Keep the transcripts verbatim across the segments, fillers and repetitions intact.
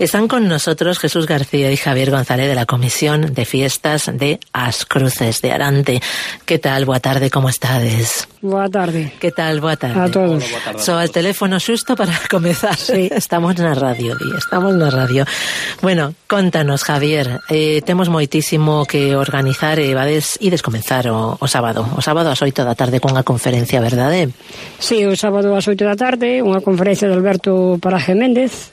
Están con nosotros Jesús García y Javier González de la Comisión de Fiestas de As Cruces de Arante. ¿Qué tal? Boa tarde, como estades? Boa tarde. ¿Qué tal? Boa tarde. A todos. So, al teléfono xusto para comezar. Sí. Estamos na radio, di, estamos na radio. Bueno, contanos, Javier, eh, temos moitísimo que organizar e vades ides comenzar o, o sábado. O sábado ás oito da tarde cunha conferencia, verdade? Sí, o sábado ás oito da tarde, unha conferencia de Alberto Paraje Méndez,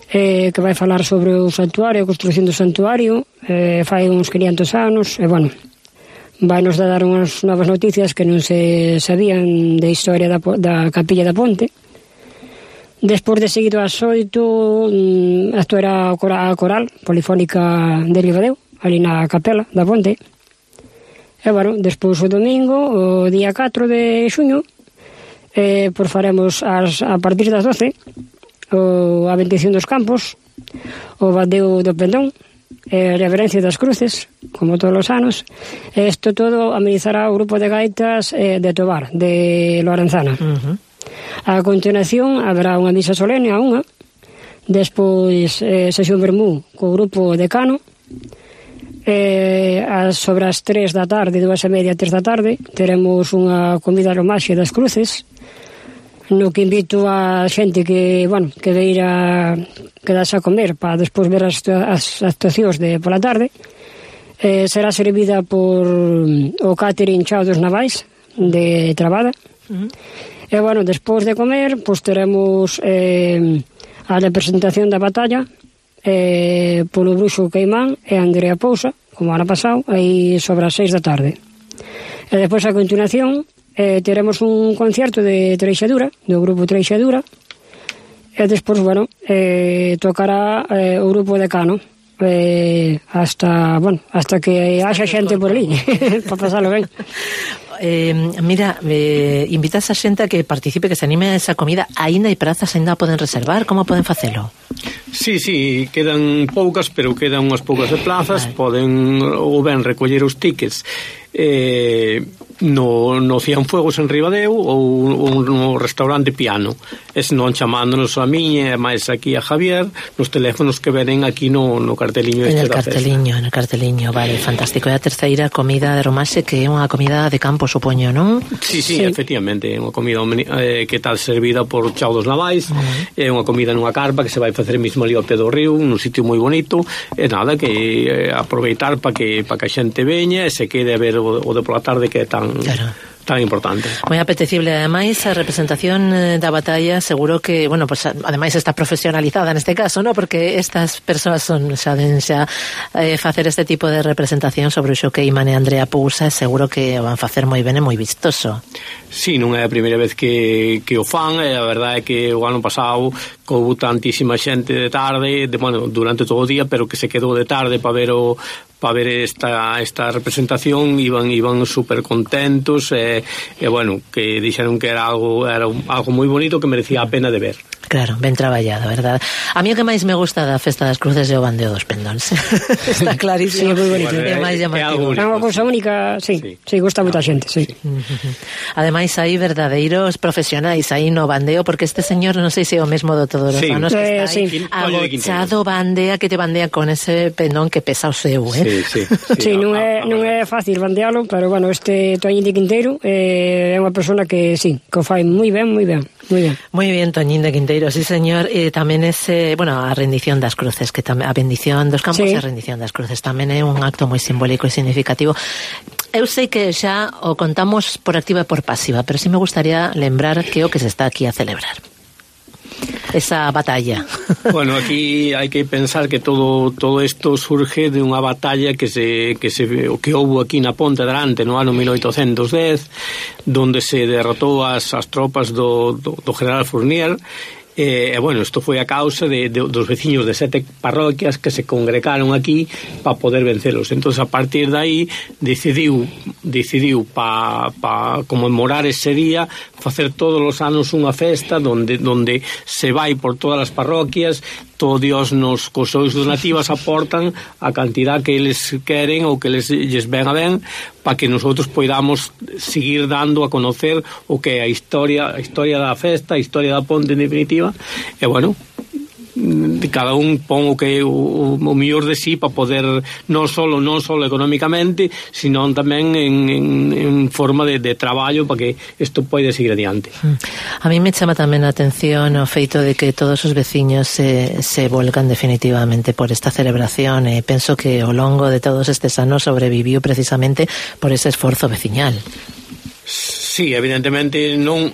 eh, que vai falar sobre o santuario, a construción do santuario, eh, fai uns quinientos anos, e, bueno, vai nos dar unhas novas noticias que non se sabían de historia da, da Capilla da Ponte. Despois de seguido ás oito, mm, actuará a coral polifónica de Ribadeo, ali na capela da Ponte. E, bueno, despois o domingo, o día catro de xuño, eh, pois faremos as, a partir das doce, o, a bendición dos campos, o bandeo do pendón, e a reverencia das cruces, como todos os anos. E isto todo amenizará o grupo de gaitas eh, de Tobar, de Lorenzana. Uh-huh. A continuación haberá unha misa solene a unha, despois eh, sesión vermú co grupo de Cano, eh, as, sobre as tres da tarde, dúas e media, tres da tarde, teremos unha comida romaxe das cruces, no que invito a xente que, bueno, que veira quedarse a comer para despois ver as, as actuacións de pola tarde. Eh, será servida por o catering Chao dos Navais de Trabada. Uh-huh. E, bueno, despois de comer, pois teremos eh, a representación da batalla eh, polo Bruxo Queimán e Andrea Pousa, como ano pasado, aí sobre as seis da tarde. E despois, a continuación, Eh, teremos un concerto de Treixadura, do grupo Treixadura, e despois, bueno, eh, tocará eh, o grupo de Cano, eh, hasta, bueno, hasta que haxa xente por ali, para pasalo ben. Eh, mira, eh, invitas a xente a que participe, que se anime a esa comida. Aínda hai prazas, aínda poden reservar? Como poden facelo? Sí, sí, quedan poucas, pero quedan unhas poucas de plazas. Vale. Poden ou ben recoller os tickets eh, no, no Cienfuegos en Ribadeo ou, ou no restaurante Piano, e senón chamándonos a miña e máis aquí a Javier nos teléfonos que venen aquí no, no carteliño este da festa. En el carteliño, vale, fantástico. E a terceira comida de romaxe, que é unha comida de campo, supoño, non? Sí, sí, sí, efectivamente, é unha comida eh, que está servida por Chao dos Navais. Uh-huh. É unha comida nunha carpa que se vai facer mesmo ali ao pé do río, nun sitio moi bonito, e nada, que eh, aproveitar para que, pa que a xente veña e se quede a ver o, o de pola tarde, que é tan... Claro. Tan importante. Moi apetecible, ademais, a representación da batalla, seguro que, bueno, pues ademais está profesionalizada neste caso, ¿no? Porque estas persoas son, xa den xa eh, facer este tipo de representación sobre o Xoqueiman e Andrea Pousa, seguro que o van facer moi ben e moi vistoso. Sí, non é a primeira vez que, que o fan, e a verdade é que o ano pasado houve tantísima xente de tarde, de, bueno, durante todo o día, pero que se quedou de tarde para ver o para ver esta esta representación, iban iban super contentos, e, e bueno, que dixeron que era algo era un, algo moi bonito, que merecía a pena de ver. Claro, ben traballado, verdad? A mí o que máis me gusta da Festa das Cruces é o bandeo dos pendóns. Está clarísimo. Sí, moi bonito. É máis llamativo. É unha cousa única, sí, sí, sí, gusta moita xente, sí. Ademais, hai verdadeiros profesionais aí no bandeo, porque este señor, non sei se é o mesmo do todos os sí. anos, que eh, está aí sí. agochado, bandea, que te bandea con ese pendón que pesa o seu, eh? Sí, sí. Sí, sí, non é, non é fácil bandealo, pero, bueno, este Toñín de Quinteiro eh, é unha persona que, sí, que o fai moi ben, moi ben. Muy bien. Muy bien, Toñín de Quinteiro, sí, señor. E tamén ese, bueno, a rendición das cruces, que tamén a bendición dos campos, sí. E a rendición das cruces tamén é un acto moi simbólico e significativo. Eu sei que xa o contamos por activa e por pasiva, pero sí me gustaría lembrar que o que se está aquí a celebrar. Esa batalla. Bueno, aquí hai que pensar que todo todo isto surge de unha batalla que se que se que houbo aquí na Ponte de Arante no ano mil oitocentos dez, donde se derrotou as as tropas do do, do general Fournier. E, eh, bueno, isto foi a causa de, de, dos veciños de sete parroquias que se congregaron aquí para poder vencelos. Entón, a partir de aí, decidiu, decidiu para pa conmemorar ese día, facer todos os anos unha festa donde, donde se vai por todas as parroquias, todo Dios nos cos seus donativas aportan a cantidad que eles queren ou que eles lles ven a ben, para que nosotros poidamos seguir dando a conocer o que é a historia, a historia da festa, a historia da ponte en definitiva. E bueno, cada un pon o que o, o mellor de sí para poder non solo non solo económicamente, sino tamén en, en, en forma de, de traballo para que isto poida seguir adiante. A mí me chama tamén a atención o feito de que todos os veciños se, se volcan definitivamente por esta celebración, e penso que ao longo de todos estes anos sobreviviu precisamente por ese esforzo veciñal. Sí, evidentemente non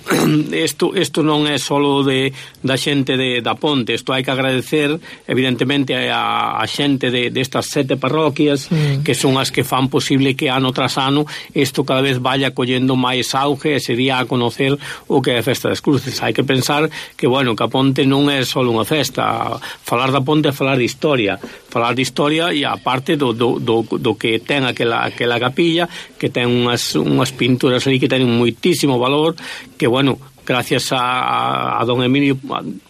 isto isto non é solo de da xente de da Ponte, isto hai que agradecer evidentemente a, a xente de destas sete parroquias mm. que son as que fan posible que ano tras ano isto cada vez vaya collendo máis auge e se día a conocer o que é a Festa das Cruces. Hai que pensar que, bueno, que a Ponte non é solo unha festa, falar da Ponte é falar de historia, falar de historia e a parte do, do, do, do que ten aquela, aquela capilla, que ten unhas, unhas pinturas aí que ten moitísimo valor, que, bueno, gracias a, a, a don Emilio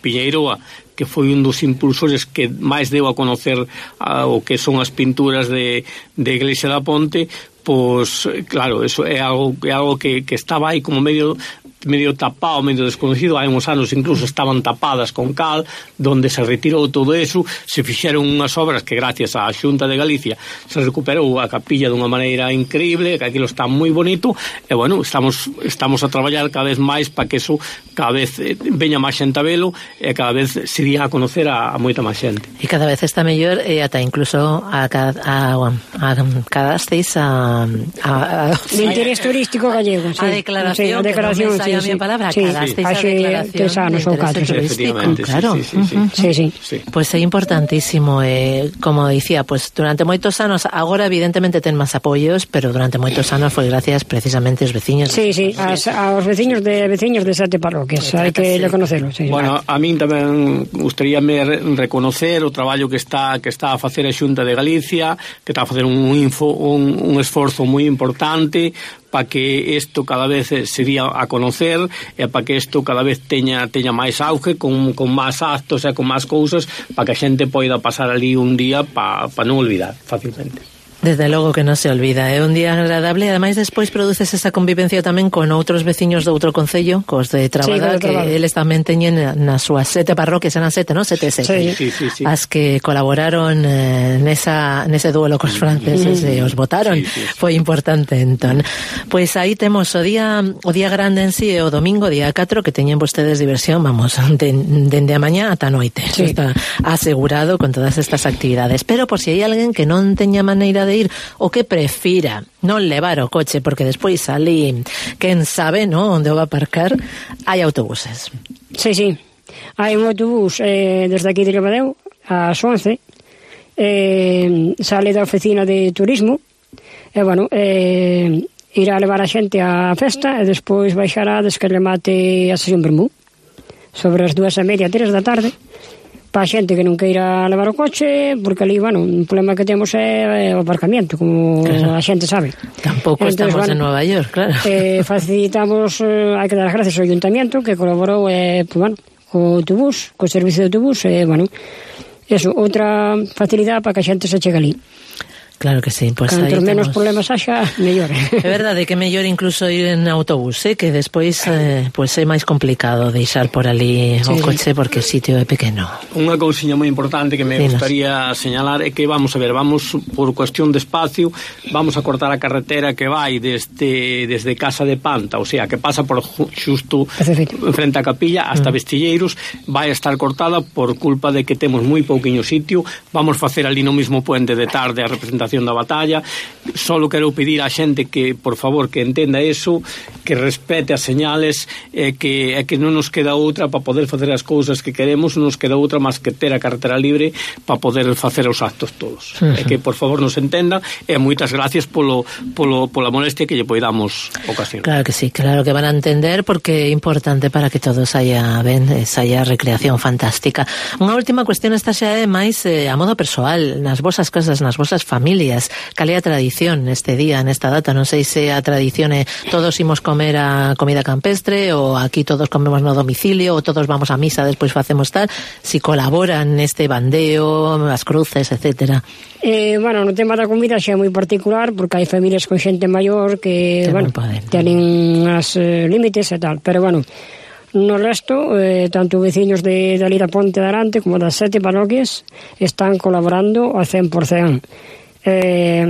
Piñeiro, a, que foi un dos impulsores que máis deu a conocer a, o que son as pinturas de, de Iglesia da Ponte, pois, claro, eso é algo, é algo que, que estaba aí como medio medio tapado, medio desconocido. Hai uns anos incluso estaban tapadas con cal, donde se retirou todo eso, se fixeron unhas obras que gracias á Xunta de Galicia se recuperou a capilla dunha maneira increíble, que aquilo está moi bonito, e bueno, estamos estamos a traballar cada vez máis para que eso cada vez veña máis xente a velo e cada vez se día a conocer a, a moita máis xente. E cada vez está mellor, e ata incluso a, a, a, a cadasteis a, a, a, a interés turístico gallego, sí. A declaración, sí, a declaración, que non me sí, a palabra, sí, cadasteis sí, a declaración tres anos ou catro, turístico, claro. Sí, sí, sí, sí, sí. sí. Pois é importantísimo, eh, como dicía, pues durante moitos anos, agora evidentemente ten máis apoios, pero durante moitos anos foi gracias precisamente aos veciños. Sí, sí, as, aos veciños de veciños de sete parroquias, hai que reconocerlo, sí. Bueno, a min tamén gustaríame reconocer o traballo que está que está a facer a Xunta de Galicia, que está a facer un info, un, un esforzo moi importante para que isto cada vez se día a conocer e para que isto cada vez teña teña máis auge, con, con máis actos e con máis cousas, para que a xente poida pasar ali un día para pa non olvidar fácilmente. Desde logo que non se olvida, é un día agradable, e ademais despois produces esa convivencia tamén con outros veciños de outro concello, cos de Trabada, sí, que Trabada. Eles tamén teñen nas súas sete parroquias, eran sete, non? Sete, sete. Sí, sí, sí. As que colaboraron eh, nesa, nese duelo cos franceses mm. e os votaron. Sí, sí, sí. Foi importante, entón. Pois aí temos o día o día grande en sí, e o domingo, día catro, que teñen vostedes diversión, vamos, dende de, de a mañá ata noite. Sí. Está asegurado con todas estas actividades. Pero por si hai alguén que non teña maneira de ir o que prefira non levar o coche, porque despois ali quen sabe, no, onde o va a aparcar, hai autobuses. Sí, sí, hai un autobús eh, desde aquí de Ribadeo ás once, eh, sale da oficina de turismo e, bueno, eh, irá a levar a xente á festa e despois baixará desde que remate a sesión vermú sobre as dúas e media, tres da tarde, para a xente que non queira levar o coche, porque ali, bueno, un problema que temos é o aparcamiento, como claro. A xente sabe. Tampouco Entonces, estamos bueno, en Nova York, claro. Eh, facilitamos, eh, hai que dar gracias ao Ayuntamiento, que colaborou, eh, pues, bueno, co autobús, co servicio de autobús, e, eh, bueno, eso, outra facilidade para que a xente se chegue ali. Claro que sí, pues cantos menos temos... problemas haxa, mellor. É verdade que é mellor incluso ir en autobús, eh, que despois eh, pues é máis complicado deixar por ali sí, o coche, sí. Porque o sitio é pequeno. Unha cousiña moi importante que me Dinos. gustaría señalar é que vamos a ver, vamos por cuestión de espacio, vamos a cortar a carretera que vai desde desde Casa de Panta, o sea, que pasa por xusto frente á capilla hasta mm. Vestilleiros, vai a estar cortada por culpa de que temos moi pouquiño sitio. Vamos facer ali no mismo puente de tarde a representación da batalla. Solo quero pedir á xente que, por favor, que entenda eso, que respete as señales, e que, e que non nos queda outra para poder facer as cousas que queremos, non nos queda outra máis que ter a carretera libre para poder facer os actos todos. Uh-huh. E que, por favor, nos entendan, e moitas gracias polo, polo, pola molestia que lle poidamos ocasión. Claro que sí, claro que van a entender, porque é importante para que todos haya ben, haya recreación fantástica. Unha última cuestión, esta xa é máis eh, a modo persoal, nas vosas casas, nas vosas familias. Cal é a tradición neste día, nesta data? Non sei se a tradición é todos imos comer a comida campestre, ou aquí todos comemos no domicilio, ou todos vamos a misa, despois facemos tal. Si colaboran neste bandeo, as cruces, etcétera. Eh, bueno, no tema da comida xa é moi particular, porque hai familias con xente maior que, que bueno, tenen as eh, límites e tal, pero bueno, no resto, eh, tanto veciños de, de ali da Ponte de Arante como das sete parroquias están colaborando ao cen por cen. Eh,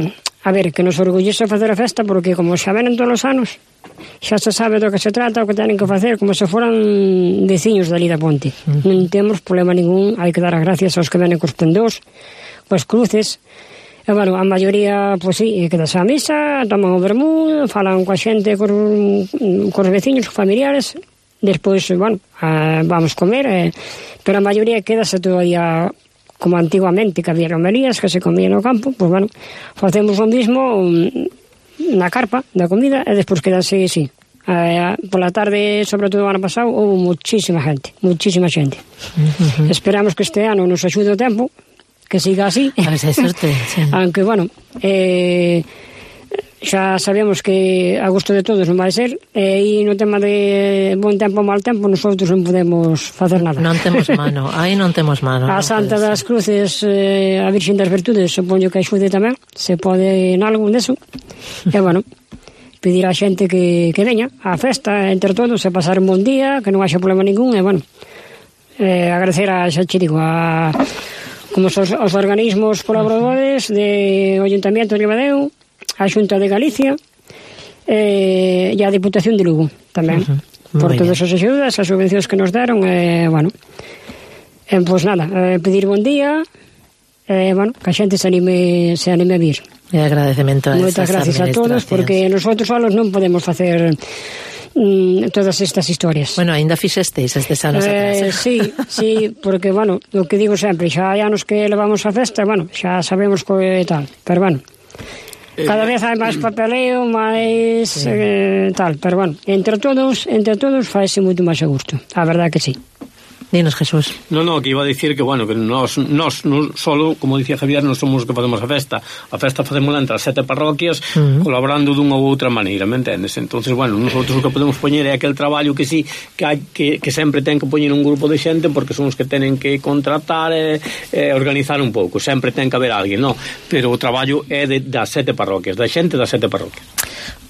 a ver, que nos orgullece facer a festa porque como xa venen todos os anos, xa se sabe do que se trata, o que tenen que facer, como se foran veciños dali da Ponte. Uh-huh. Non temos problema ningún, hai que dar as gracias aos que venen cos pendós, cos cruces. E, bueno, a maioría, pois sí, quedas a misa, toman o vermú, falan coa xente, cos, cos veciños, cos familiares, despois, bueno, a, vamos comer, eh, pero a maioría quedase todavía como antiguamente, que había romerías que se comían no campo, pois, bueno, facemos o mismo na carpa da comida e despois quedase, sí. Eh, pola tarde, sobre todo o ano pasado, houve muchísima gente, muchísima xente. Uh-huh. Esperamos que este ano nos axude o tempo, que siga así. A ver se hai sorte, sí. Aunque, bueno, eh, xa sabemos que a gusto de todos non vai ser, e no tema de bon tempo ou mal tempo, nosotros non podemos facer nada. Non temos mano, aí non temos mano. A non Santa das Cruces, eh, a Virxen das Virtudes, supoño que axude tamén, se pode en algún deso. E, bueno, pedir a xente que, que veña á festa entre todos, e pasar un bon día, que non haxa problema ningún, e, bueno, eh, agradecer a xa chirico, a como os, os organismos colaboradores de Ayuntamiento de Ribadeo, a Xunta de Galicia eh, e a Diputación de Lugo tamén, uh-huh. por todas as axudas, as subvencións que nos deron, e, eh, bueno, eh, pois nada, eh, pedir bon día, e, eh, bueno, que a xente se anime, se anime a vir. E agradecemento a moitas gracias a todos, porque nosotros solos non podemos facer mm, todas estas historias. Bueno, ainda fixesteis estes anos eh, atrás. Sí, sí, porque, bueno, o que digo sempre, xa hai anos que levamos a festa, bueno, xa sabemos que tal, pero, bueno, cada vez hai máis papeleo, máis sí. eh, tal, pero, bueno, entre todos, entre todos faise moito máis a gusto, a verdade que sí. Dinos, Jesús. No, no, que iba a dicir que, bueno, que nós, nós, nós solo, como dicía Javier, non somos os que facemos a festa. A festa facémola entre as sete parroquias, uh-huh. colaborando dunha ou outra maneira, me entendes? Entonces, bueno, nosotros o que podemos poñer é aquel traballo que sí, que hai, que, que sempre ten que poñer un grupo de xente, porque son os que tenen que contratar e, e organizar un pouco. Sempre ten que haber alguén, no? Pero o traballo é de, das sete parroquias, da xente das sete parroquias.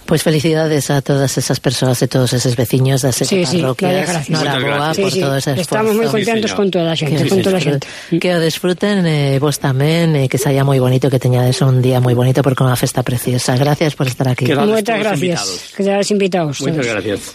Pois pues felicidades a todas esas persoas e todos eses veciños das sete sí, parroquias. Sí, Noraboa sí, por sí. todo ese esforzo. Estamos moi contentos sí, con toda a xente, que con toda a xente. Que o desfruten eh, vos tamén, eh, que saia moi bonito, que teñades un día moi bonito porque é unha festa preciosa. Gracias por estar aquí. Moitas gracias. Que seades invitados. Moitas gracias.